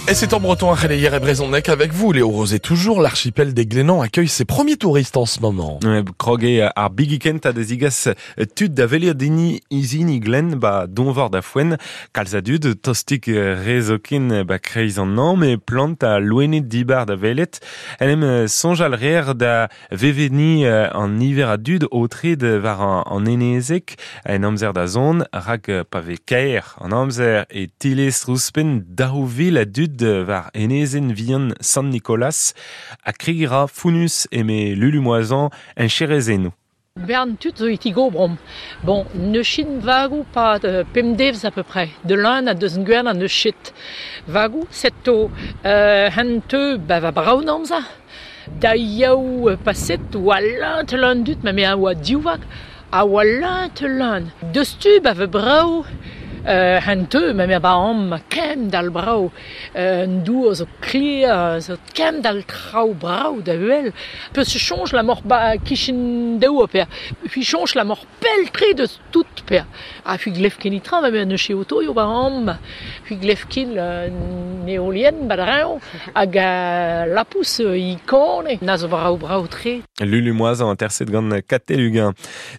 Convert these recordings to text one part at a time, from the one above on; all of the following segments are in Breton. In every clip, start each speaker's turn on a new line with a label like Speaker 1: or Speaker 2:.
Speaker 1: Et c'est en breton à Khaleier et Brezhoneg avec vous, Léo Rosé. Toujours, l'archipel des Glénans accueille ses premiers touristes en ce moment.
Speaker 2: Krog eo ar bigi kentañ da zigas tud da welet dini izini Glen ba donvor da foenn. Kalz a dud, tostik re zoken ba kreiz an hañv, met plant ha loened dibar da welet. En em soñjal reer da vevenniñ an niver a dud aotreet war an enezeg en amzer da zont, rak pa vez kaer an amzer e tilestr ouzhpenn 2000 a dud war enezenn vihan Sant Nikolaz ha kregiñ ra founnus eme Lulu Moisan en Cherezennoù.
Speaker 3: Bern tud zo e tigobromp. Bon, n'eus ket vagoù 'pad pemp devezh à peu près. De lun ha deus gwern ha n'eus ket vagoù. Setu hen teu ba va brav an amzer. Da yaou paset oa leun-leun dud, ma me a oa div vag, a oa leun-leun. Deus tu ba va brav hen teu, ma me ba amañ kemend-all brav. An dour zo klêr, zo kemend-all traoù brav da wel. Peus soñj la moc'h ba kichen daou pe puis soñj la moc'h pell-tre deus tout pe ha puis glev ket netra ma n'eus ket otoioù ba amañ. Puis glev ket an heolienn ba dreñv hag lapous ikone na zo brav-brav-tre.
Speaker 2: Lulu Moisan aterset gant Katell Uguen.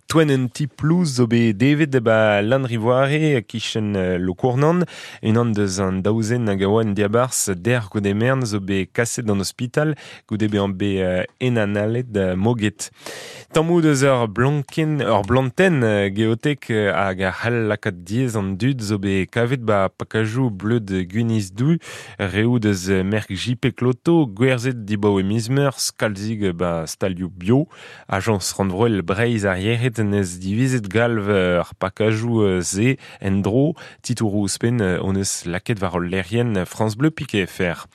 Speaker 2: Toenn un ti plouz zo bet devet ba Lanrivoare e-kichen Lokournan. Unan deus an daou zen hag a oa en diabarzh dec'h goude merenn zo bet kaset d'an ospital goude bezañ bet enanalet moged. Tammoù deus ur blankenn, ur blantenn geotek hag a c'hall lakaat diaes an dud zo bet kavet ba pakajoù bleud gwinizh-du, reoù deus merk JP Cloto, gwerzhet dibaoe miz Meurzh, kalzik ba stalioù bio. Ajañs rannvroel Breizh ar yec'hed 'neus divizet galv ar pakajoù-se en-dro. Titouroù ouzhpenn hon eus lakaet war hol lec'hienn France Bleu Piquet FR.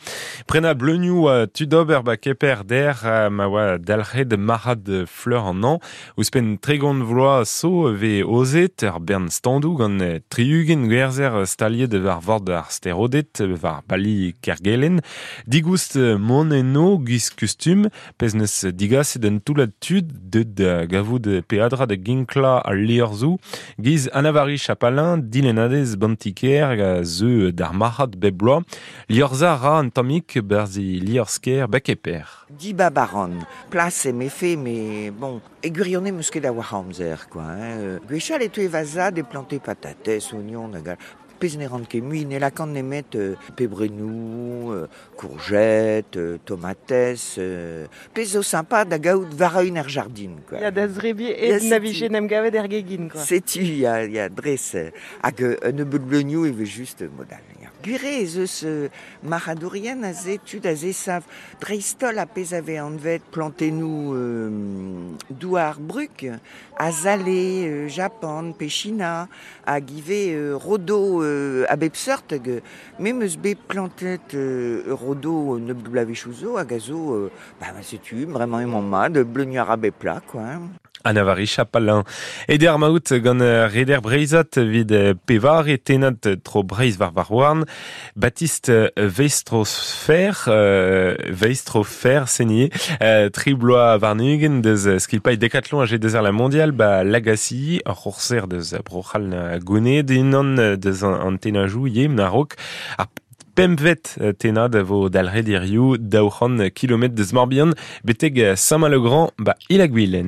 Speaker 2: Prenañ bleunioù tud ober ba Keper dec'h ma oa dalc'het marc'had fleur an hañv. Ouzhpenn 30 vloaz zo e vez aozet ur bern standoù gant 60 gwerzher staliet war vord ar Steroded, war bali Kergelen. Digoust mont eno giz kustum, pezh 'neus digaset un toullad tud deuet da gavout peadra da ginklañ al liorzhoù. Giz Anna-Vari Chapalain, dilennadez Bantiker hag a zeu d'ar marc'had bep bloaz. Liorzhañ a ra un tammig 'barzh e liorzh-kêr Bakeper.
Speaker 4: Dibab a ran. Plas em efe, met bon, e gwirionez 'meus ket a-walc'h amzer, quoi. Hein. Gwechall e teue va zad e plante patatez, ognon hag all. Pezh ne ran ket mui, ne lakaan nemet pebrennoù, courgettes, tomatez, pezh zo sympa da gaout war-eeun er jardin, quoi.
Speaker 5: Ya, da zrebiñ hep na vije en em gavet er gegin, quoi.
Speaker 4: Setu, ya, ya, dres. Hag un nebeud bleunioù e vez just mod all. Ya. Gwir eo ez eus marc'hadourien aze, tud a zesav dreist-holl ar pezh a vez anvet plantennoù douar brug, azale, Japan pe China, hag ivez rodo a bep seurt. Hag me 'm eus bet plantet rodo nebeut bloavezhioù zo hag a zo, bah, setu, bremañ emañ mat, bleuniañ a ra bep plat, quoi.
Speaker 2: Anna-Vari Chapalain. Eder maout gant reder breizhat evit pevare tennad tro Breizh war Varhouarn. Baptiste Veistrofer, Veistrofer Senier, tri bloaz warn-ugent deus skipailh Decathlon a deus la mondial ba Lagacy, ur c'hourser deus Bro-C'hall Gwened, unan deus an tennajoù ivez a-raok ar pempvet tennad a vo dalc'het hiziv 200 kilometr deus Morbihan betek Saint-Malo-Grand ba Il-ha-Gwilen.